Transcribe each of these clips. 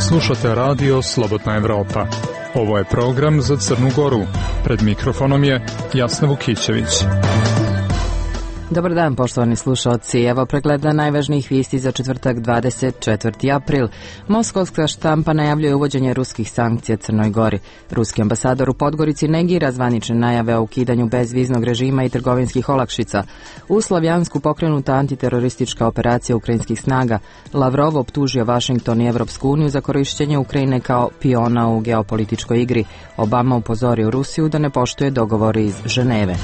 Slušate radio Slobodna Evropa. Ovo je program za Crnu Goru. Pred mikrofonom je Jasna Vukićević. Dobar dan, poštovani slušalci. Evo pregleda najvažnijih vijesti za četvrtak 24. april. Moskovska štampa najavljuje uvođenje ruskih sankcija Crnoj Gori. Ruski ambasador u Podgorici negira zvanične najave o ukidanju bezviznog režima i trgovinskih olakšica. U Slavjansku pokrenuta antiteroristička operacija ukrajinskih snaga. Lavrov optužio Vašington i Evropsku uniju za korišćenje Ukrajine kao piona u geopolitičkoj igri. Obama upozorio Rusiju da ne poštuje dogovore iz Ženeve.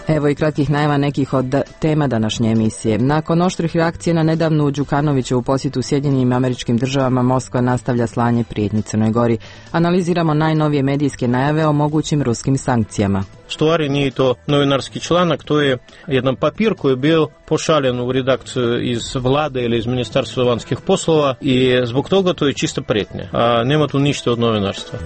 Evo i kratkih najava nekih od tema današnje emisije. Nakon oštrih reakcija na nedavnu Đukanovićevu posjetu Sjedinjenim Američkim Državama, Moskva nastavlja slanje prijetnji Crnoj Gori. Analiziramo najnovije medijske najave o mogućim ruskim sankcijama. Stvari nije to novinarski članak, to je jedan papir koji je bio pošaljen u redakciju iz vlade ili iz Ministarstva vanjskih poslova i zbog toga to je čista prijetnja, a nema tu ništa od novinarstva.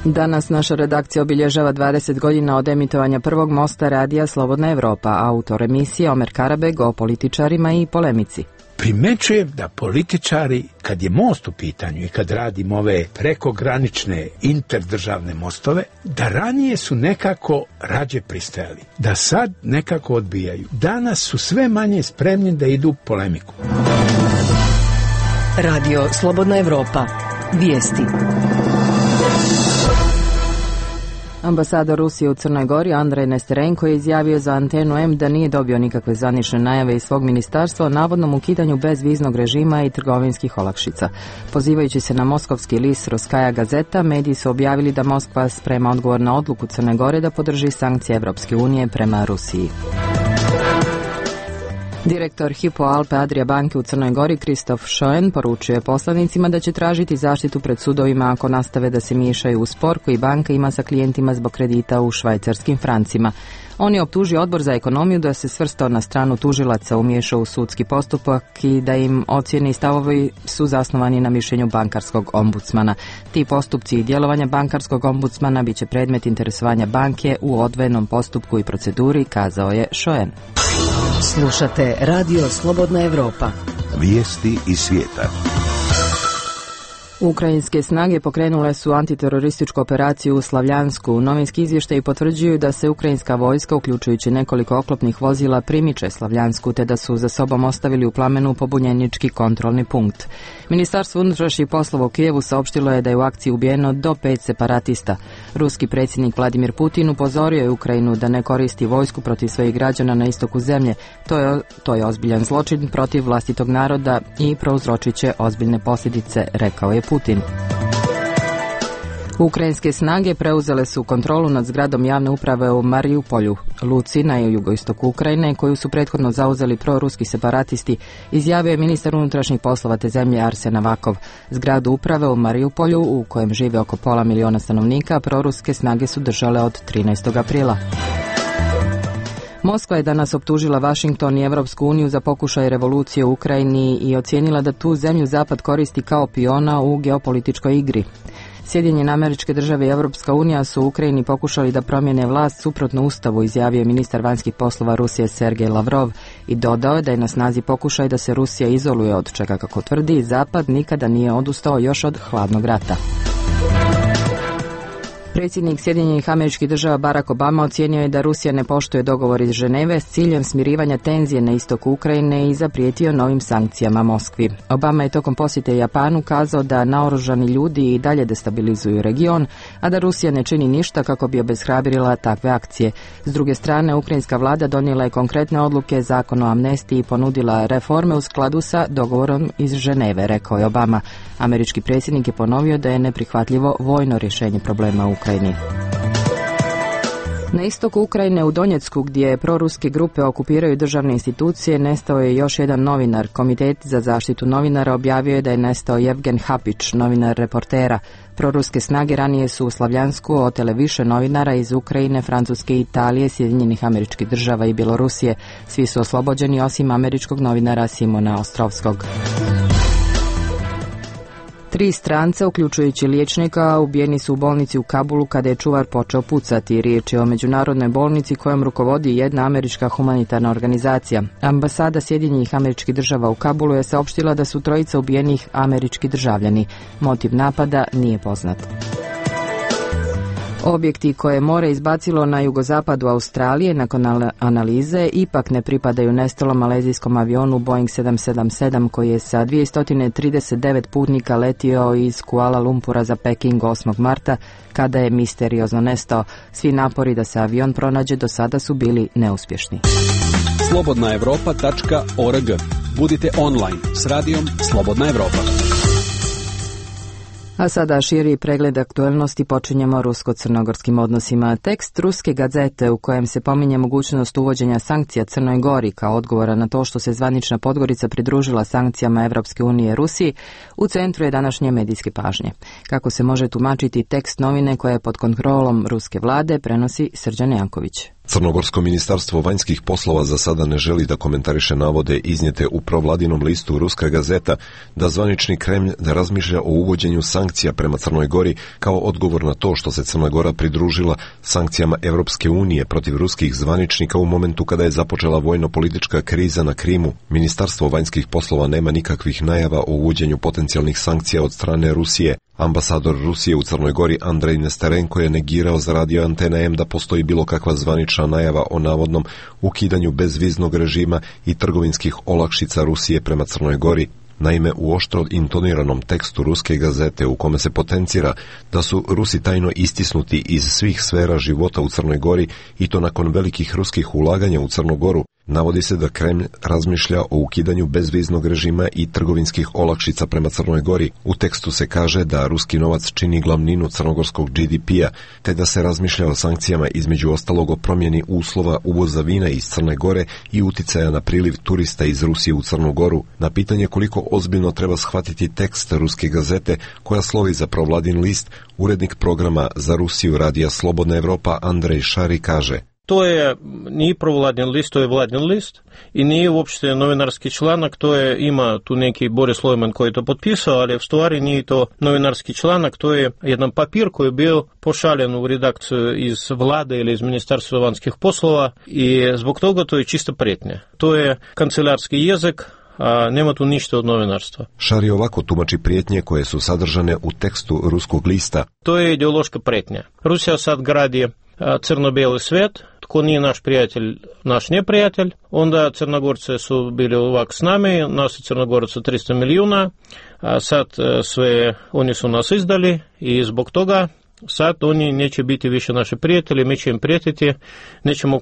Danas naša redakcija obilježava 20 godina od emitovanja prvog mosta radija Slobodna Evropa, autor emisije Omer Karabeg o političarima i polemici. Primećujem da političari, kad je most u pitanju i kad radimo ove prekogranične interdržavne mostove, da ranije su nekako rađe pristajali, da sad nekako odbijaju. Danas su sve manje spremni da idu u polemiku. Radio Slobodna Evropa. Vijesti. Ambasador Rusije u Crnoj Gori Andrej Nesterenko je izjavio za Antenu M da nije dobio nikakve zvanične najave iz svog ministarstva o navodnom ukidanju bezviznog režima i trgovinskih olakšica. Pozivajući se na moskovski list Ruskaja gazeta, mediji su objavili da Moskva sprema odgovor na odluku Crne Gore da podrži sankcije Evropske unije prema Rusiji. Direktor Hypo Alpe Adria banke u Crnoj Gori Kristof Schoen poručio je poslanicima da će tražiti zaštitu pred sudovima ako nastave da se miješaju u spor koji banka ima sa klijentima zbog kredita u švajcarskim francima. On je optužio Odbor za ekonomiju da se svrstao na stranu tužilaca, umiješao u sudski postupak i da im ocjene i stavovi su zasnovani na mišljenju bankarskog ombudsmana. Ti postupci i djelovanja bankarskog ombudsmana bit će predmet interesovanja banke u odvojenom postupku i proceduri, kazao je Schoen. Slušate Radio Slobodna Evropa. Vijesti iz svijeta. Ukrajinske snage pokrenule su antiterorističku operaciju u Slavjansku. Novinski izvještaji potvrđuju da se ukrajinska vojska, uključujući nekoliko oklopnih vozila, primiče Slavjansku te da su za sobom ostavili u plamenu pobunjenički kontrolni punkt. Ministarstvo unutrašnjih poslova u Kijevu saopštilo je da je u akciji ubijeno do 5 separatista. Ruski predsjednik Vladimir Putin upozorio je Ukrajinu da ne koristi vojsku protiv svojih građana na istoku zemlje. To je ozbiljan zločin protiv vlastitog naroda i prouzročit će ozbiljne posljedice, rekao je Putin. Ukrajinske snage preuzele su kontrolu nad zgradom javne uprave u Mariupolju, luci na jugoistoku Ukrajine, koju su prethodno zauzeli proruski separatisti, izjavio je ministar unutrašnjih poslova te zemlje Arsen Avakov. Zgradu uprave u Mariupolju, u kojem žive oko 500.000 stanovnika, proruske snage su držale od 13. aprila. Moskva je danas optužila Vašington i Evropsku uniju za pokušaj revolucije u Ukrajini i ocijenila da tu zemlju Zapad koristi kao piona u geopolitičkoj igri. Sjedinjene Američke Države i Evropska unija su u Ukrajini pokušali da promijene vlast suprotno ustavu, izjavio je ministar vanjskih poslova Rusije Sergej Lavrov i dodao je da je na snazi pokušaj da se Rusija izoluje, od čega, kako tvrdi, Zapad nikada nije odustao još od hladnog rata. Predsjednik Sjedinjenih Američkih Država Barack Obama ocijenio je da Rusija ne poštuje dogovor iz Ženeve s ciljem smirivanja tenzije na istoku Ukrajine i zaprijetio novim sankcijama Moskvi. Obama je tokom posjete Japanu kazao da naoružani ljudi i dalje destabilizuju region, a da Rusija ne čini ništa kako bi obeshrabrila takve akcije. S druge strane, ukrajinska vlada donijela je konkretne odluke, zakon o amnestiji i ponudila reforme u skladu sa dogovorom iz Ženeve, rekao je Obama. Američki predsjednik je ponovio da je neprihvatljivo vojno rješenje problema u Ukrajini. Na istoku Ukrajine u Donjecku, gdje proruske grupe okupiraju državne institucije, nestao je još jedan novinar. Komitet za zaštitu novinara objavio je da je nestao Jevgen Hapić, novinar Reportera. Proruske snage ranije su u Slavjansku otele više novinara iz Ukrajine, Francuske, Italije, Sjedinjenih Američkih Država i Bjelorusije. Svi su oslobođeni osim američkog novinara Simona Ostrovskog. 3 stranca, uključujući liječnika, ubijeni su u bolnici u Kabulu kada je čuvar počeo pucati. Riječ je o međunarodnoj bolnici kojom rukovodi jedna američka humanitarna organizacija. Ambasada Sjedinjenih Američkih Država u Kabulu je saopštila da su 3 ubijenih američki državljani. Motiv napada nije poznat. Objekti koje je more izbacilo na jugozapadu Australije nakon analize ipak ne pripadaju nestalom malezijskom avionu Boeing 777 koji je sa 239 putnika letio iz Kuala Lumpura za Peking 8. marta kada je misteriozno nestao. Svi napori da se avion pronađe do sada su bili neuspješni. slobodnaevropa.org. Budite online s radijom Slobodna Evropa. A sada širi pregled aktualnosti, počinjemo rusko-crnogorskim odnosima. Tekst ruske gazete u kojem se pominje mogućnost uvođenja sankcija Crnoj Gori kao odgovora na to što se zvanična Podgorica pridružila sankcijama Evropske unije Rusiji, u centru je današnje medijske pažnje. Kako se može tumačiti tekst novine koja je pod kontrolom ruske vlade, prenosi Srđan Janković. Crnogorsko ministarstvo vanjskih poslova za sada ne želi da komentariše navode iznijete u provladinom listu Ruska gazeta da zvanični Kremlj ne razmišlja o uvođenju sankcija prema Crnoj Gori kao odgovor na to što se Crna Gora pridružila sankcijama Evropske unije protiv ruskih zvaničnika u momentu kada je započela vojno-politička kriza na Krimu. Ministarstvo vanjskih poslova nema nikakvih najava o uvođenju potencijalnih sankcija od strane Rusije. Ambasador Rusije u Crnoj Gori Andrej Nesterenko je negirao za radio Antena M da postoji bilo kakva zvanična najava o navodnom ukidanju bezviznog režima i trgovinskih olakšica Rusije prema Crnoj Gori. Naime, u oštro intoniranom tekstu Ruske gazete u kome se potencira da su Rusi tajno istisnuti iz svih sfera života u Crnoj Gori i to nakon velikih ruskih ulaganja u Crnu Goru, navodi se da Kremlj razmišlja o ukidanju bezviznog režima i trgovinskih olakšica prema Crnoj Gori. U tekstu se kaže da ruski novac čini glavninu crnogorskog GDP-a, te da se razmišlja o sankcijama između ostalog o promjeni uslova uvoza vina iz Crne Gore i uticaja na priliv turista iz Rusije u Crnu Goru. Na pitanje koliko ozbiljno treba shvatiti tekst Ruske gazete koja slovi za provladin list, urednik programa za Rusiju radija Slobodna Evropa Andrej Šari kaže: To je nije provladin list, to je vladin list i nije uopšte novinarski članak, to je, ima tu neki Boris Lojman koji je to potpisao, ali u stvari nije to novinarski članak, to je jedan papir koji je bio pošaljen u redakciju iz vlade ili iz Ministarstva vanjskih poslova i zbog toga to je čista prijetnja. To je kancelarski jezik, a nema tu ništa od novinarstva. Šari ovako tumači prijetnje koje su sadržane u tekstu ruskog lista. To je ideološka prijetnja. Rusija sad gradi crno-bijeli svijet, tko nije naš prijatelj, naš neprijatelj, onda Crnogorce su bili ovak s nami, nas je Crnogoraca 300 milijuna, a sad sve oni su nas izdali i zbog toga sad oni neće biti više naši prijatelji, mi će im prijetiti, nećemo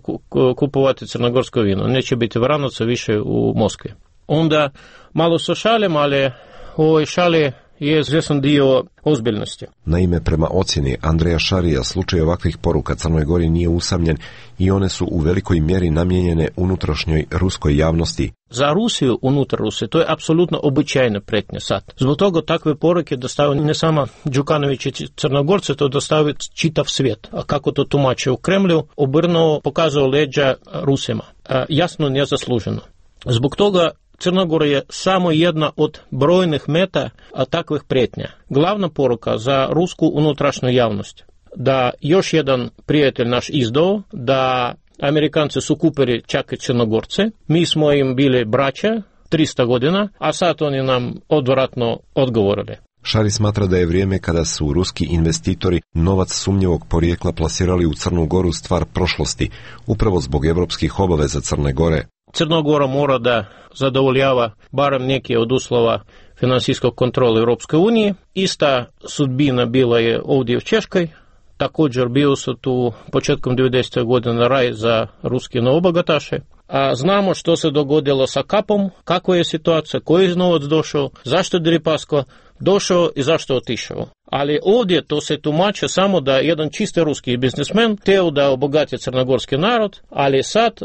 kupovati crnogorsko vino, neće biti Vranaca više u Moskvi. Onda malo sa šalim, ali u ovoj šali je izvjesan dio ozbiljnosti. Naime, prema ocjeni Andreja Šarija, slučaj ovakvih poruka Crnoj Gori nije usamljen i one su u velikoj mjeri namijenjene unutrašnjoj ruskoj javnosti. Za Rusiju, unutar Rusije, to je apsolutno običajna prijetnja sad. Zbog toga takve poruke dostavaju ne samo Đukanović i Crnogorce, to dostavaju čitav svijet. A kako to tumače u Kremlju, obrnuo pokazao leđa Rusima. Jasno nezasluženo. Zbog toga Crna Gora je samo jedna od brojnih meta takvih prijetnja. Glavna poruka za rusku unutrašnju javnost da još jedan prijatelj naš izdao, da Amerikanci su kupili čak i Crnogorce, mi smo im bili braća 300 godina, a sad oni nam odvratno odgovorili. Šari smatra da je vrijeme kada su ruski investitori novac sumnjivog porijekla plasirali u Crnu Goru stvar prošlosti, upravo zbog evropskih obaveza Crne Gore. Crna Gora mora da zadovoljava barem neke od uslova financijskog kontrola Europske unije. Ista sudbina bila je ovdje u Češkoj. Također bio su tu početkom 90. godina raj za ruske novobogataše. A znamo što se dogodilo sa Kapom, kakva je situacija, koji je novac došao, zašto je Deripaska došao i zašto otišao. Ali ovdje to se tumače samo da jedan čisti ruski biznismen htio da obogati crnogorski narod, ali sad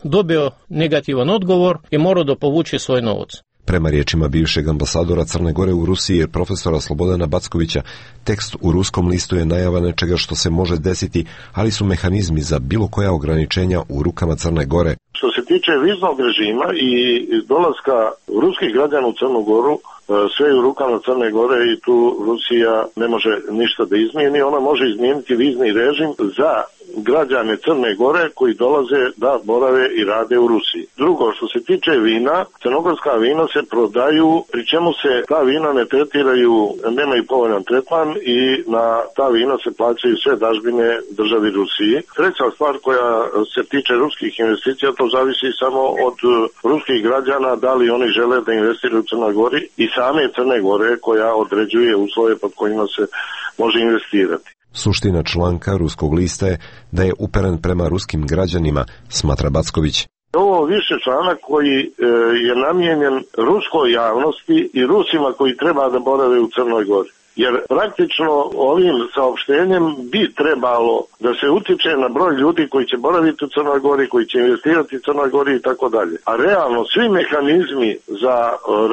dobio negativan odgovor i mora da povuče svoj novac. Prema riječima bivšeg ambasadora Crne Gore u Rusiji, profesora Slobodana Backovića, tekst u ruskom listu je najava nečega što se može desiti, ali su mehanizmi za bilo koja ograničenja u rukama Crne Gore. Što se tiče viznog režima i dolaska ruskih građana u Crnu Goru, sve je u rukama Crne Gore i tu Rusija ne može ništa da izmijeni. Ona može izmijeniti vizni režim za građane Crne Gore koji dolaze da borave i rade u Rusiji. Drugo, što se tiče vina, crnogorska vina se prodaju, pri čemu se ta vina ne tretiraju, nemaju povoljan tretman i na ta vina se plaćaju sve dažbine državi Rusiji. Treća stvar koja se tiče ruskih investicija, to zavisi samo od ruskih građana, da li oni žele da investiraju u Crnoj Gori i same Crne Gore koja određuje uslove pod kojima se može investirati. Suština članka ruskog lista je da je uperen prema ruskim građanima, smatra Backović. Ovo više članak koji je namijenjen ruskoj javnosti i Rusima koji treba da borave u Crnoj Gori. Jer praktično ovim saopštenjem bi trebalo da se utiče na broj ljudi koji će boraviti u Crnoj Gori, koji će investirati u Crnoj Gori i tako dalje. A realno svi mehanizmi za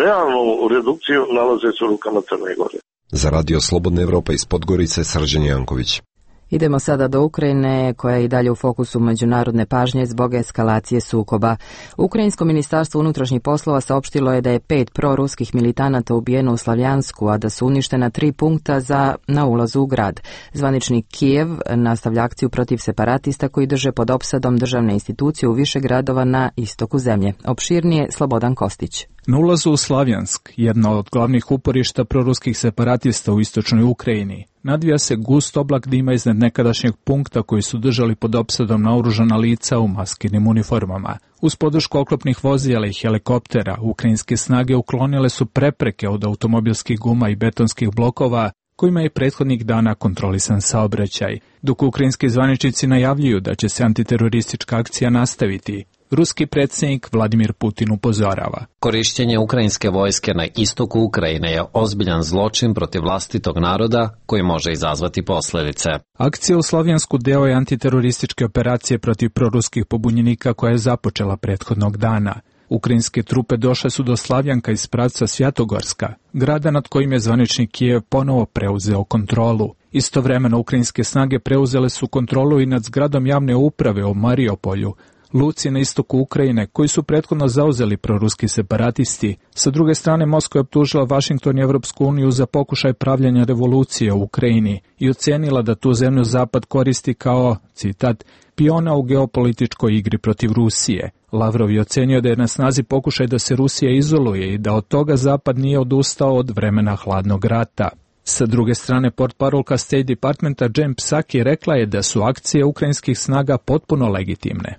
realnu redukciju nalaze se u rukama Crne Gore. Za Radio Slobodna Evropa iz Podgorice, Srđan Janković. Idemo sada do Ukrajine, koja je i dalje u fokusu međunarodne pažnje zbog eskalacije sukoba. Ukrajinsko ministarstvo unutrašnjih poslova saopštilo je da je 5 proruskih militanata ubijeno u Slavjansku, a da su uništena 3 punkta na ulazu u grad. Zvaničnik Kijev nastavlja akciju protiv separatista koji drže pod opsadom državne institucije u više gradova na istoku zemlje. Opširnije Slobodan Kostić. Na ulazu u Slavjansk, jedna od glavnih uporišta proruskih separatista u istočnoj Ukrajini, nadvija se gust oblak dima iznad nekadašnjeg punkta koji su držali pod opsadom naoružana lica u maskirnim uniformama. Uz podršku oklopnih vozila i helikoptera, ukrajinske snage uklonile su prepreke od automobilskih guma i betonskih blokova kojima je prethodnih dana kontrolisan saobraćaj. Dok ukrajinski zvaničnici najavljuju da će se antiteroristička akcija nastaviti, ruski predsjednik Vladimir Putin upozorava. Korištenje ukrajinske vojske na istoku Ukrajine je ozbiljan zločin protiv vlastitog naroda koji može izazvati posljedice. Akcija u Slavjansku deo je antiterorističke operacije protiv proruskih pobunjenika koja je započela prethodnog dana. Ukrajinske trupe došle su do Slavjanka iz pravca Svjatogorska, grada nad kojim je zvanični Kijev ponovo preuzeo kontrolu. Istovremeno ukrajinske snage preuzele su kontrolu i nad zgradom javne uprave u Mariupolju, luci na istoku Ukrajine, koji su prethodno zauzeli proruski separatisti. Sa druge strane, Moskva je optužila Vašington i Evropsku uniju za pokušaj pravljenja revolucije u Ukrajini i ocenila da tu zemlju Zapad koristi kao, citat, piona u geopolitičkoj igri protiv Rusije. Lavrov je ocenio da je na snazi pokušaj da se Rusija izoluje i da od toga Zapad nije odustao od vremena hladnog rata. Sa druge strane, portparolka State Departmenta Jen Psaki rekla je da su akcije ukrajinskih snaga potpuno legitimne.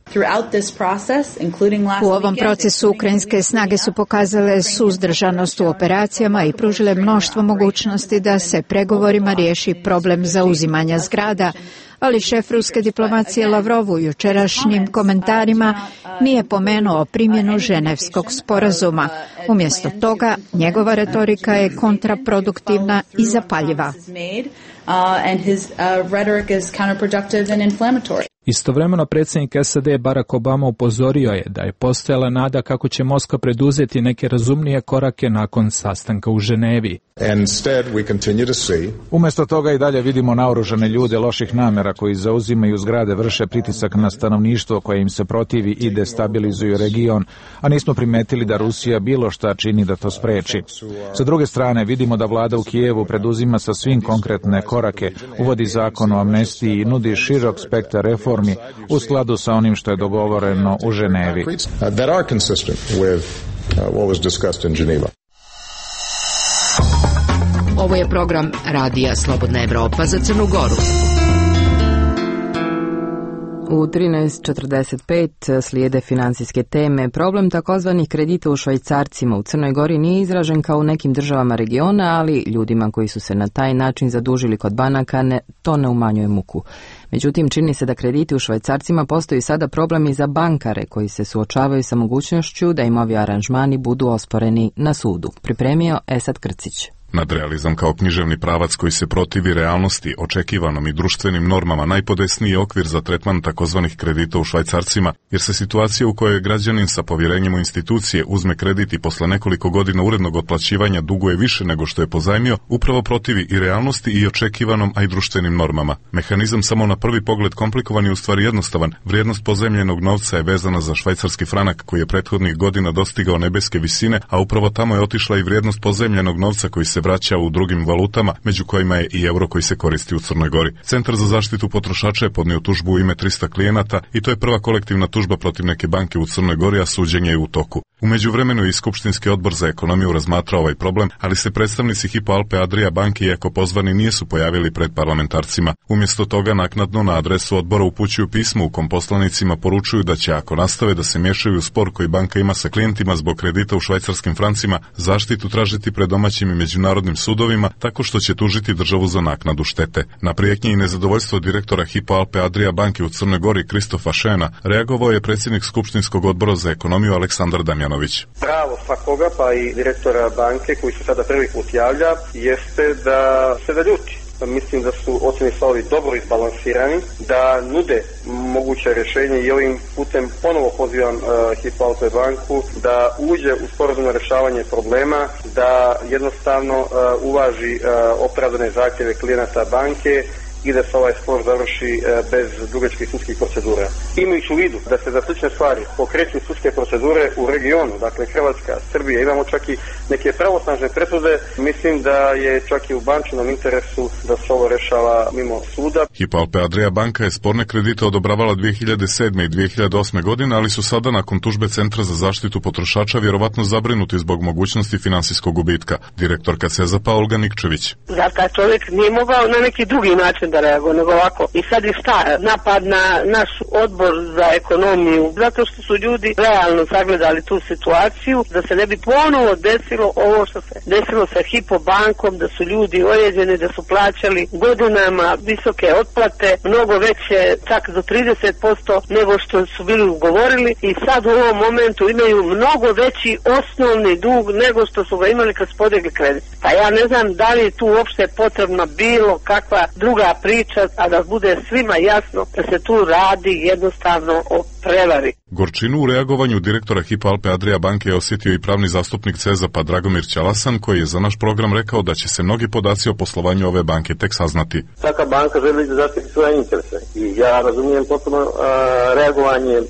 U ovom procesu ukrajinske snage su pokazale suzdržanost u operacijama i pružile mnoštvo mogućnosti da se pregovorima riješi problem zauzimanja zgrada, ali šef ruske diplomacije Lavrov u jučerašnjim komentarima nije pomenuo primjenu Ženevskog sporazuma. Umjesto toga, njegova retorika je kontraproduktivna i zapaljiva. Istovremeno predsjednik SAD Barack Obama upozorio je da je postojala nada kako će Moskva preduzeti neke razumnije korake nakon sastanka u Ženevi. Umjesto toga i dalje vidimo naoružane ljude loših namjera koji zauzimaju zgrade, vrše pritisak na stanovništvo koje im se protivi i destabilizuju region, a nismo primetili da Rusija bilo šta čini da to spreči. Sa druge strane, vidimo da vlada u Kijevu preduzima sa svim konkretne korake, uvodi zakon o amnestiji i nudi širok spektar reformi u skladu sa onim što je dogovoreno u Ženevi. Ovo je program Radija Slobodna Evropa za Crnu Goru. U 13:45 slijede financijske teme. Problem takozvanih kredita u švajcarcima u Crnoj Gori nije izražen kao u nekim državama regiona, ali ljudima koji su se na taj način zadužili kod banaka to ne umanjuje muku. Međutim, čini se da krediti u švajcarcima postoji sada problem i za bankare koji se suočavaju sa mogućnošću da im ovi aranžmani budu osporeni na sudu. Pripremio Esad Krcić. Nadrealizam kao književni pravac koji se protivi realnosti, očekivanom i društvenim normama najpodesniji je okvir za tretman takozvanih kredita u švajcarcima, jer se situacija u kojoj građanin sa povjerenjem u institucije uzme kredit i posle nekoliko godina urednog otplaćivanja duguje više nego što je pozajmio, upravo protivi i realnosti i očekivanom, a i društvenim normama. Mehanizam samo na prvi pogled komplikovan je u stvari jednostavan. Vrijednost pozajmljenog novca je vezana za švajcarski franak koji je prethodnih godina dostigao nebeske visine, a upravo tamo je otišla i vrijednost pozajmljenog novca koji se vraća u drugim valutama, među kojima je i euro koji se koristi u Crnoj Gori. Centar za zaštitu potrošača je podnio tužbu u ime 300 klijenata i to je prva kolektivna tužba protiv neke banke u Crnoj Gori, a suđenje je u toku. U međuvremenu i Skupštinski odbor za ekonomiju razmatrao ovaj problem, ali se predstavnici Hypo Alpe Adria banke, iako pozvani, nisu pojavili pred parlamentarcima. Umjesto toga naknadno na adresu odbora upućuju pismo u kom poslanicima poručuju da će, ako nastave da se miješaju u spor koji banka ima sa klijentima zbog kredita u švajcarskim francima, zaštitu tražiti pred domaćim i međunarodnim sudovima tako što će tužiti državu za naknadu štete. Na prijetnje i nezadovoljstvo direktora Hypo Alpe Adria banke u Crnoj Gori Kristofa Šena reagovao je predsjednik Skupštinskog odbora za ekonomiju Aleksandar Damjanović. Pravo svakoga, pa i direktora banke koji se sada prvi put javlja, jeste da se da ljuti. Mislim da su ocjeni stavovi dobro izbalansirani, da nude moguće rješenje i ovim putem ponovo pozivam Hypo Alpe banku da uđe u sporazumno rješavanje problema, da jednostavno uvaži opravdane zahtjeve klijenata banke i da se ovaj spor završi bez dugačkih sudskih procedura. Imajući u vidu da se za slične stvari pokreću sudske procedure u regionu, dakle Hrvatska, Srbija, imamo čak i neke pravosnažne presude, mislim da je čak i u bančinom interesu da se ovo rešava mimo suda. Hypo Alpe Adria banka je sporne kredite odobravala 2007. i 2008. godine, ali su sada nakon tužbe Centra za zaštitu potrošača vjerovatno zabrinuti zbog mogućnosti finansijskog gubitka. Direktorka CEZAP-a Olga Nikčević. Da, taj čovjek nije mogao na neki drugi način da reaguje, nego ovako. I sad je napad na naš odbor za ekonomiju, zato što su ljudi realno sagledali tu situaciju, da se ne bi ponovo desilo ovo što se desilo sa Hypo bankom, da su ljudi ojeđeni, da su plaćali godinama visoke otplate, mnogo veće, čak do 30% nego što su bili ugovorili i sad u ovom momentu imaju mnogo veći osnovni dug nego što su ga imali kad su podigli kredit. Pa ja ne znam da li je tu uopšte potrebna bilo kakva druga priča, a da bude svima jasno da se tu radi jednostavno o prevari. Gorčinu u reagovanju direktora Hypo Alpe Adria banke je osjetio i pravni zastupnik CEZAP-a Dragomir Ćalasan, koji je za naš program rekao da će se mnogi podaci o poslovanju ove banke tek saznati. Svaka banka želi da zaštiti svoje interese i ja razumijem potpuno reagovanje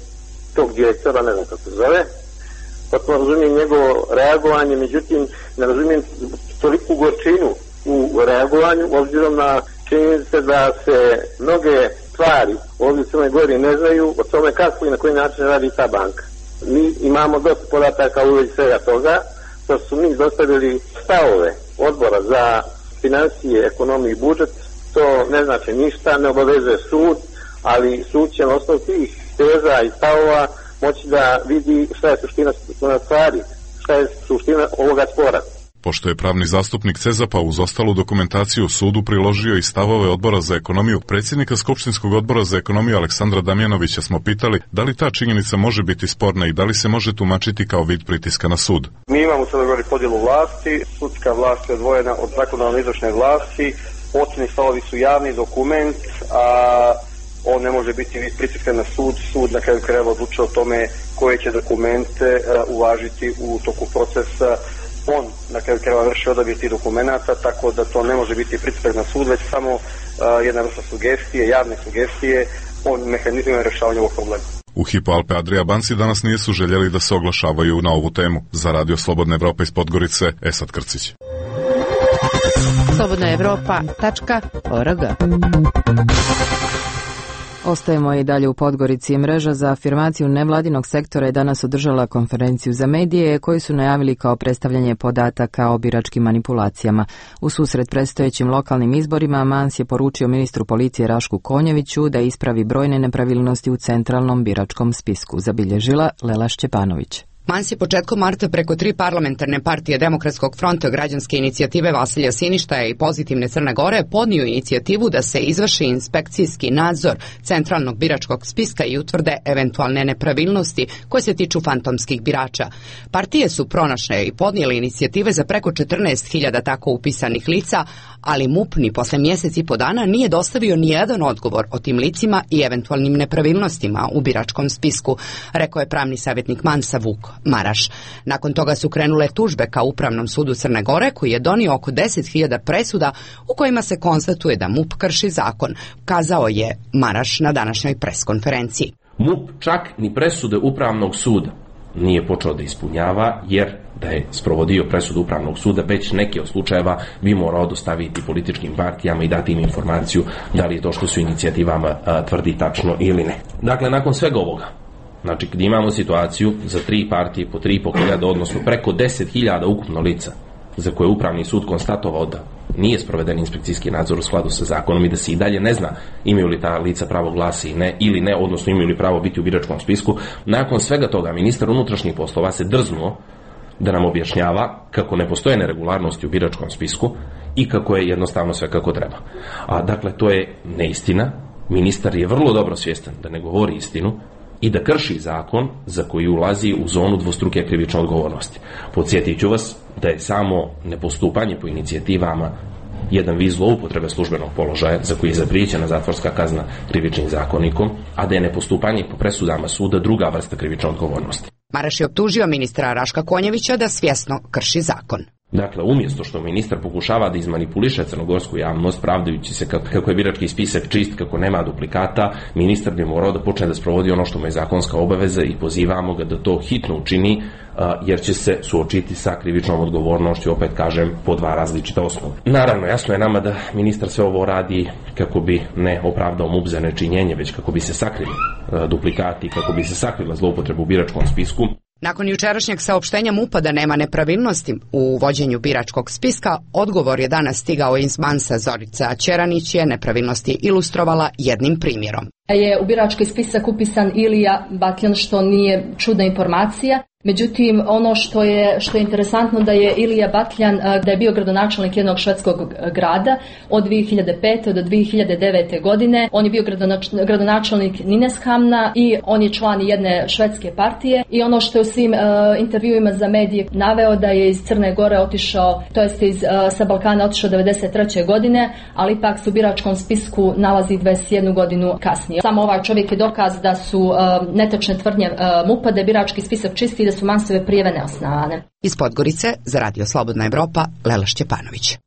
tog direktora, ne znam kako se zove, potpuno razumijem njegovo reagovanje, međutim ne razumijem toliku gorčinu u reagovanju, obzirom na činjenice da se mnoge stvari ovdje u Crnoj Gori ne znaju o tome kako i na koji način radi ta banka. Mi imamo dosta podataka u vezi svega toga, što su mi dostavili stavove odbora za financije, ekonomiju i budžet, to ne znači ništa, ne obavezuje sud, ali sud će na osnovu tih teza i stavova moći da vidi šta je suština stvari, šta je suština ovoga spora. Pošto je pravni zastupnik CEZAP-a uz ostalu dokumentaciju sudu priložio i stavove odbora za ekonomiju, predsjednika Skupštinskog odbora za ekonomiju Aleksandra Damjanovića smo pitali da li ta činjenica može biti sporna i da li se može tumačiti kao vid pritiska na sud. Mi imamo u Crnoj Gori podjelu vlasti, sudska vlast je odvojena od zakonodavne izvršne vlasti, ocjeni stavovi su javni dokument, a on ne može biti vid pritiska na sud. Sud na kraju krajeva odlučuje o tome koje će dokumente uvažiti u toku procesa. On na kraju krajeva vrši odabir tih dokumenata, tako da to ne može biti pritisak na sud, već samo jedna vrsta sugestije, javne sugestije o mehanizmima rješavanja ovog problema. U Hypo Alpe Adria banci danas nisu željeli da se oglašavaju na ovu temu. Za Radio Slobodna Evropa iz Podgorice, Esad Krcić. slobodnaevropa.org. Ostajemo i dalje u Podgorici. Mreža za afirmaciju nevladinog sektora je danas održala konferenciju za medije koji su najavili kao predstavljanje podataka o biračkim manipulacijama. U susret predstojećim lokalnim izborima Mans je poručio ministru policije Rašku Konjeviću da ispravi brojne nepravilnosti u centralnom biračkom spisku, zabilježila Lela Šćepanović. Mans je početkom marta preko 3 parlamentarne partije Demokratskog fronta, Građanske inicijative Vasilja Siništaja i Pozitivne Crne Gore podnio inicijativu da se izvrši inspekcijski nadzor centralnog biračkog spiska i utvrde eventualne nepravilnosti koje se tiču fantomskih birača. Partije su pronašle i podnijele inicijative za preko 14.000 tako upisanih lica, ali MUP ni posle mjesec i po dana nije dostavio ni jedan odgovor o tim licima i eventualnim nepravilnostima u biračkom spisku, rekao je pravni savjetnik Mansa Vuk Maraš. Nakon toga su krenule tužbe ka Upravnom sudu Crne Gore, koji je donio oko 10.000 presuda u kojima se konstatuje da MUP krši zakon, kazao je Maraš na današnjoj preskonferenciji. MUP čak ni presude Upravnog suda nije počeo da ispunjava, jer da je sprovodio presudu Upravnog suda, već neke od slučajeva bi morao dostaviti političkim partijama i dati im informaciju da li je to što su inicijativama tvrdi tačno ili ne. Dakle, nakon svega ovoga, znači kad imamo situaciju za 3 partije po 3.500, odnosno preko 10.000 ukupno lica za koje je Upravni sud konstatovao da nije sproveden inspekcijski nadzor u skladu sa zakonom i da se i dalje ne zna imaju li ta lica pravo glasa ili ne, odnosno imaju li pravo biti u biračkom spisku. Nakon svega toga ministar unutrašnjih poslova se drznuo da nam objašnjava kako ne postoje neregularnosti u biračkom spisku i kako je jednostavno sve kako treba. Dakle, to je neistina. Ministar je vrlo dobro svjestan da ne govori istinu i da krši zakon za koji ulazi u zonu dvostruke krivične odgovornosti. Podsjetit ću vas da je samo nepostupanje po inicijativama jedan vid zloupotrebe službenog položaja za koji je zapriječena zatvorska kazna krivičnim zakonikom, a da je nepostupanje po presudama suda druga vrsta krivične odgovornosti. Maraš je optužio ministra Raška Konjevića da svjesno krši zakon. Dakle, umjesto što ministar pokušava da izmanipuliše crnogorsku javnost, pravdajući se kako je birački spisak čist, kako nema duplikata, ministar bi morao da počne da sprovodi ono što mu je zakonska obaveza i pozivamo ga da to hitno učini, jer će se suočiti sa krivičnom odgovornošću, opet kažem, po 2 različita osnova. Naravno, jasno je nama da ministar sve ovo radi kako bi ne opravdao MUP za nečinjenje, već kako bi se sakrili duplikati, kako bi se sakrila zloupotreba u biračkom spisku. Nakon jučerašnjeg saopštenja MUP-a da nema nepravilnosti u vođenju biračkog spiska, odgovor je danas stigao iz Mansa. Zorica Ćeranić je nepravilnosti ilustrovala jednim primjerom. Je u birački spisak upisan Ilija Batljan, što nije čudna informacija. Međutim, ono što je interesantno da je Ilija Batljan, da je bio gradonačelnik jednog švedskog grada od 2005. do 2009. godine. On je bio gradonačelnik Nynäshamna i on je član jedne švedske partije. I ono što je u svim intervjuima za medije naveo da je iz Crne Gore otišao, to jest sa Balkana otišao 1993. godine, ali ipak se u biračkom spisku nalazi 21 godinu kasnije. Samo ovaj čovjek je dokaz da su netočne tvrdnje MUP-a da je birački spisak čisti i da su Mansove prijave neosnovane. Iz Podgorice za Radio Slobodna Evropa, Lela Šćepanović.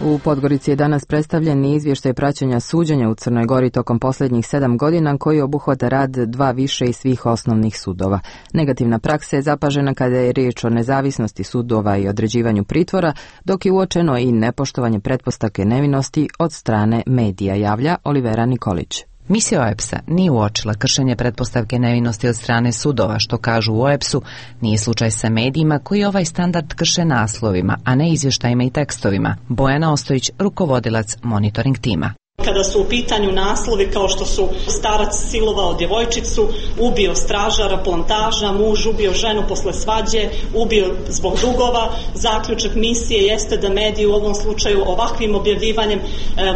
U Podgorici je danas predstavljen izvještaj praćenja suđenja u Crnoj Gori tokom posljednjih 7 godina, koji obuhvata rad 2 više i svih osnovnih sudova. Negativna praksa je zapažena kada je riječ o nezavisnosti sudova i određivanju pritvora, dok je uočeno i nepoštovanje pretpostavke nevinosti od strane medija, javlja Olivera Nikolić. Misija OEBS-a nije uočila kršenje pretpostavke nevinosti od strane sudova, što kažu u OEBS-u, nije slučaj sa medijima koji ovaj standard krše naslovima, a ne izvještajima i tekstovima. Bojana Ostojić, rukovodilac monitoring tima. Kada su u pitanju naslovi kao što su starac silovao djevojčicu, ubio stražara, plantaža, muž ubio ženu posle svađe, ubio zbog dugova, zaključak misije jeste da mediji u ovom slučaju ovakvim objavljivanjem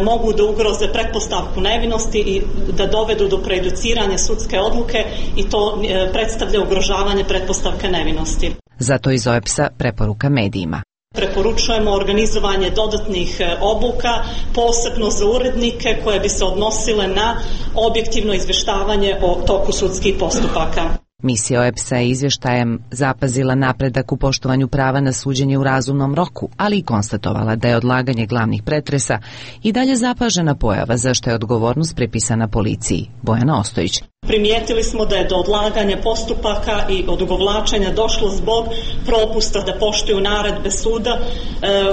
mogu da ugroze pretpostavku nevinosti i da dovedu do prejudiciranja sudske odluke i to predstavlja ugrožavanje pretpostavke nevinosti. Zato iz OEBS-a preporuka medijima. Preporučujemo organizovanje dodatnih obuka, posebno za urednike koje bi se odnosile na objektivno izvještavanje o toku sudskih postupaka. Misija OEBS-a je izvještajem zapazila napredak u poštovanju prava na suđenje u razumnom roku, ali i konstatovala da je odlaganje glavnih pretresa i dalje zapažena pojava za što je odgovornost pripisana policiji. Bojana Ostojić. Primijetili smo da je do odlaganja postupaka i odugovlačenja došlo zbog propusta da poštuju naredbe suda,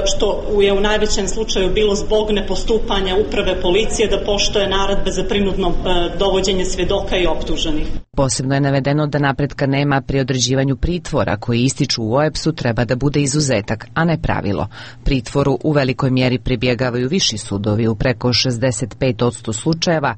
što je u najvećem slučaju bilo zbog nepostupanja uprave policije da poštuje naredbe za prinudno dovođenje svjedoka i optuženih. Posebno je navedeno da napretka nema pri određivanju pritvora koji ističu u OEBS-u treba da bude izuzetak, a ne pravilo. Pritvoru u velikoj mjeri pribjegavaju viši sudovi u preko 65% slučajeva,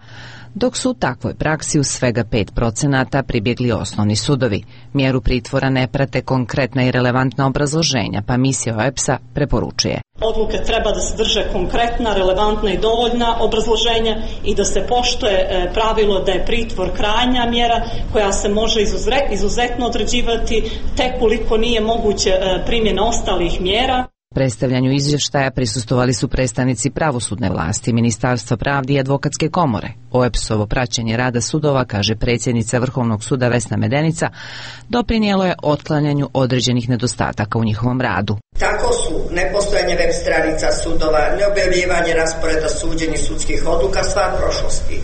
dok su u takvoj praksi u svega 5% pribjegli osnovni sudovi. Mjeru pritvora ne prate konkretna i relevantna obrazloženja, pa misija OEBS-a preporučuje. Odluke treba da sadrže konkretna, relevantna i dovoljna obrazloženja i da se poštuje pravilo da je pritvor krajnja mjera koja se može izuzetno određivati tek koliko nije moguće primjena ostalih mjera. Predstavljanju izvještaja prisustvovali su predstavnici pravosudne vlasti, Ministarstva pravde i Advokatske komore. OEBS-ovo praćenje rada sudova, kaže predsjednica Vrhovnog suda Vesna Medenica, doprinijelo je otklanjanju određenih nedostataka u njihovom radu. Tako su nepostojanje web stranica sudova, neobjavljivanje rasporeda suđenja sudskih odluka stvar prošlosti,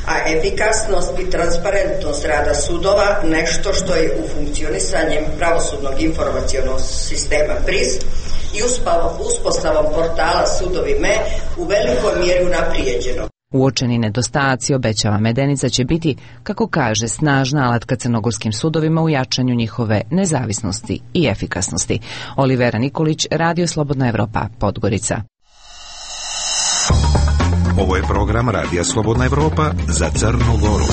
a efikasnost i transparentnost rada sudova nešto što je u funkcionisanjem pravosudnog informacionog sistema PRIS i uspostavom portala Sudovi.me u velikoj mjeri unaprijeđeno. Uočeni nedostaci, obećava Medenica, će biti, kako kaže, snažna alatka crnogorskim sudovima u jačanju njihove nezavisnosti i efikasnosti. Olivera Nikolić, Radio Slobodna Evropa, Podgorica. Ovo je program Radija Slobodna Evropa za Crnu Goru.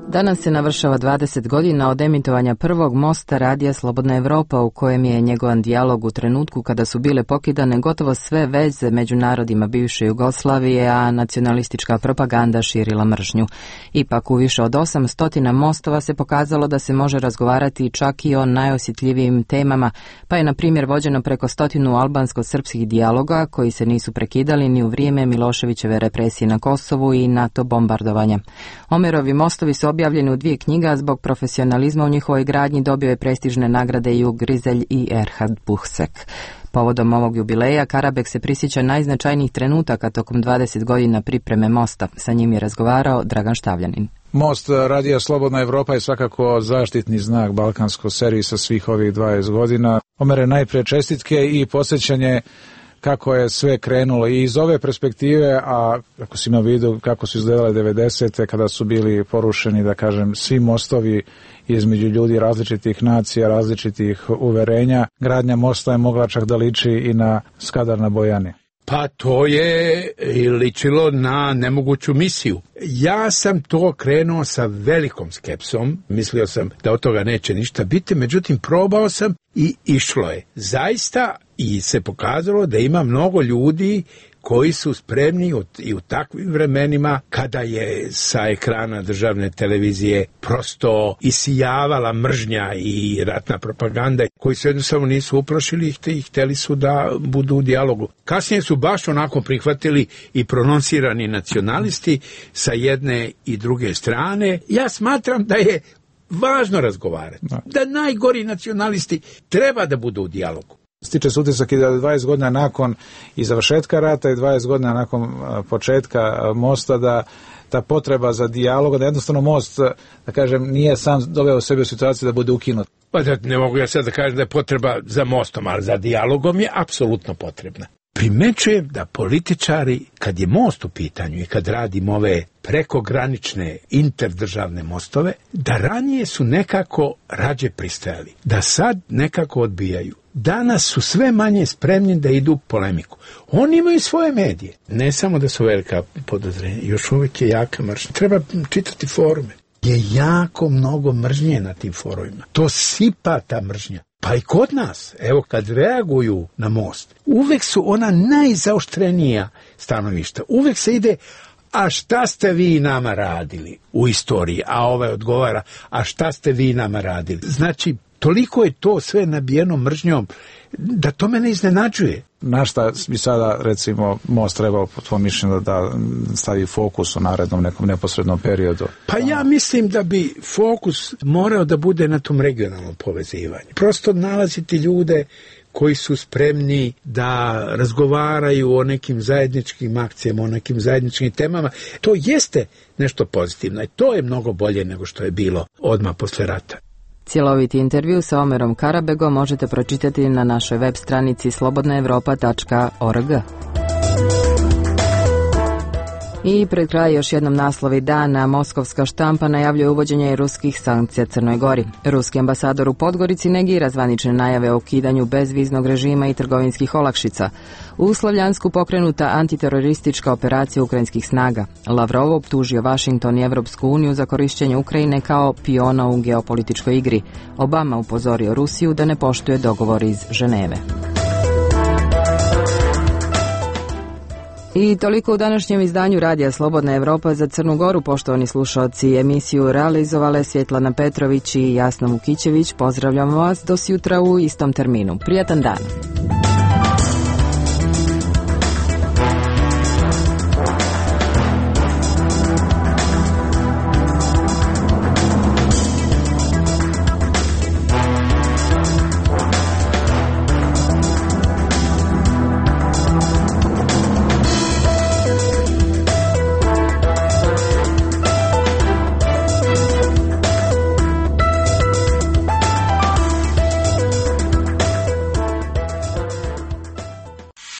Danas se navršava 20 godina od emitovanja prvog mosta Radija Slobodna Evropa, u kojem je njegovan dijalog u trenutku kada su bile pokidane gotovo sve veze među narodima bivše Jugoslavije, a nacionalistička propaganda širila mržnju. Ipak u više od 800 mostova se pokazalo da se može razgovarati čak i o najosjetljivijim temama, pa je na primjer vođeno preko 100 albansko-srpskih dijaloga koji se nisu prekidali ni u vrijeme Miloševićeve represije na Kosovu i NATO bombardovanja. Omerovi mostovi su objavljeni u 2 knjiga, zbog profesionalizma u njihovoj gradnji dobio je prestižne nagrade Jug Grizelj i Erhard Buchsek. Povodom ovog jubileja Karabek se prisjeća najznačajnijih trenutaka tokom 20 godina pripreme mosta. Sa njim je razgovarao Dragan Štavljanin. Most Radija Slobodna Evropa je svakako zaštitni znak balkanskog servisa svih ovih 20 godina. Omere najprije čestitke i podsjećanje kako je sve krenulo i iz ove perspektive, a ako si imao vidu kako su izgledale 90. kada su bili porušeni, da kažem, svi mostovi između ljudi različitih nacija, različitih uverenja, gradnja mosta je mogla čak da liči i na Skadar na Bojani. Pa to je ličilo na nemoguću misiju. Ja sam to krenuo sa velikom skepsom, mislio sam da od toga neće ništa biti, međutim probao sam i išlo je. Zaista i se pokazalo da ima mnogo ljudi koji su spremni i u takvim vremenima kada je sa ekrana državne televizije prosto isijavala mržnja i ratna propaganda, koji se jednostavno nisu uplašili i htjeli su da budu u dijalogu. Kasnije su baš onako prihvatili i prononsirani nacionalisti sa jedne i druge strane. Ja smatram da je važno razgovarati, da najgori nacionalisti treba da budu u dijalogu. Stiče se utisak i da 20 godina nakon i završetka rata i 20 godina nakon početka mosta da ta potreba za dijalog, da jednostavno most, da kažem, nije sam doveo sebe u situaciju da bude ukinut. Pa da, ne mogu ja sad da kažem da je potreba za mostom, ali za dijalogom je apsolutno potrebna. Primećujem da političari, kad je most u pitanju i kad radimo ove prekogranične interdržavne mostove, da ranije su nekako rađe pristajali, da sad nekako odbijaju. Danas su sve manje spremni da idu u polemiku. Oni imaju svoje medije. Ne samo da su velika podozrenja, još uvijek je jaka mržnja. Treba čitati forume. Je jako mnogo mržnje na tim forumima. To sipa ta mržnja. Pa i kod nas, evo kad reaguju na most, uvek su ona najzaoštrenija stanovišta. Uvek se ide, a šta ste vi nama radili u istoriji? A ovaj odgovara, a šta ste vi nama radili? Znači, toliko je to sve nabijeno mržnjom da to mene iznenađuje. Na šta bi sada, recimo, most trebao po tvojom mišljenju da stavi fokus u narednom nekom neposrednom periodu? Pa ja mislim da bi fokus morao da bude na tom regionalnom povezivanju. Prosto nalaziti ljude koji su spremni da razgovaraju o nekim zajedničkim akcijama, o nekim zajedničkim temama. To jeste nešto pozitivno i to je mnogo bolje nego što je bilo odmah posle rata. Cjeloviti intervju sa Omerom Karabegom možete pročitati na našoj web stranici slobodnaevropa.org. I pred kraj još jednom naslovi dana. Moskovska štampa najavljuje uvođenje ruskih sankcija Crnoj Gori. Ruski ambasador u Podgorici negira zvanične najave o ukidanju bezviznog režima i trgovinskih olakšica. U Slavljansku pokrenuta antiteroristička operacija ukrajinskih snaga. Lavrov optužio Washington i Evropsku uniju za korišćenje Ukrajine kao piona u geopolitičkoj igri. Obama upozorio Rusiju da ne poštuje dogovor iz Ženeve. I toliko u današnjem izdanju Radija Slobodna Evropa za Crnu Goru. Poštovani slušalci, emisiju realizovale Svjetlana Petrović i Jasna Vukićević. Pozdravljamo vas do sutra u istom terminu. Prijatan dan!